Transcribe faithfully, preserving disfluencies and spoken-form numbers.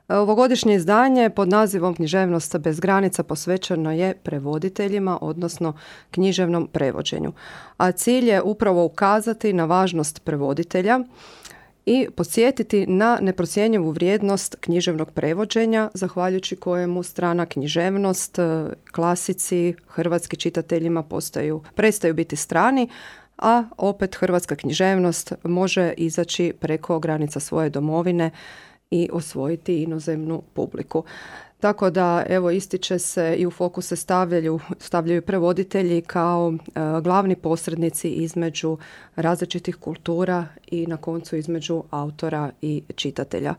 Ovogodišnje izdanje pod nazivom Književnost bez granica posvećeno je prevoditeljima, odnosno književnom prevođenju. A cilj je upravo ukazati na važnost prevoditelja i podsjetiti na neprocjenjivu vrijednost književnog prevođenja, zahvaljujući kojemu strana književnost, klasici, hrvatski čitateljima postaju, prestaju biti strani, a opet hrvatska književnost može izaći preko granica svoje domovine i osvojiti inozemnu publiku. Tako da, evo, ističe se i u fokus se stavljaju, stavljaju prevoditelji kao e, glavni posrednici između različitih kultura i na koncu između autora i čitatelja.